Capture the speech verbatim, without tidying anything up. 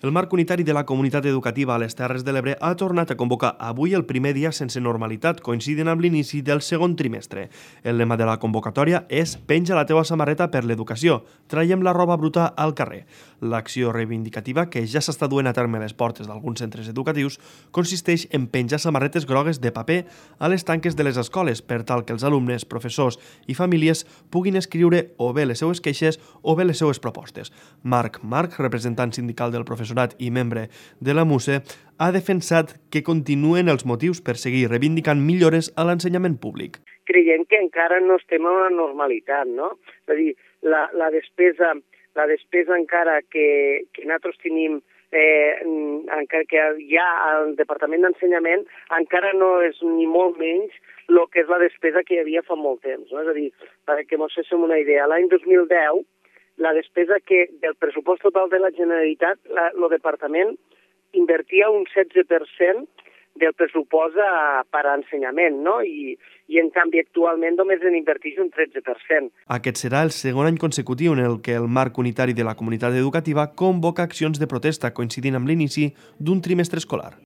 El marc unitari de la comunitat educativa a les Terres de l'Ebre ha tornat a convocar avui el primer dia sense normalitat, coincidint amb l'inici del segon trimestre. El lema de la convocatòria és «Penja la teua samarreta per l'educació, traiem la roba bruta al carrer». L'acció reivindicativa, que ja s'està duent a terme a les portes d'alguns centres educatius, consisteix en penjar samarretes grogues de paper a les tanques de les escoles per tal que els alumnes, professors i famílies puguin escriure o bé les seues queixes o bé les seues propostes. Marc Marc, representant sindical del professorat i membre de la MUSE, ha defensat que continuen els motius per seguir reivindicant millores a l'ensenyament públic. Creiem que encara no estem en una normalitat, no? És a dir, la, la, despesa, la despesa encara que, que nosaltres tenim, eh, encara que hi ha al Departament d'Ensenyament, encara no és ni molt menys el que és la despesa que hi havia fa molt temps. No? És a dir, perquè ens féssim una idea, l'any dos mil deu, la despesa que del pressupost total de la Generalitat, la, el Departament invertia un setze per cent del pressupost a, per a ensenyament, no? I, i en canvi actualment només en inverteix un tretze per cent. Aquest serà el segon any consecutiu en el que el marc unitari de la comunitat educativa convoca accions de protesta coincidint amb l'inici d'un trimestre escolar.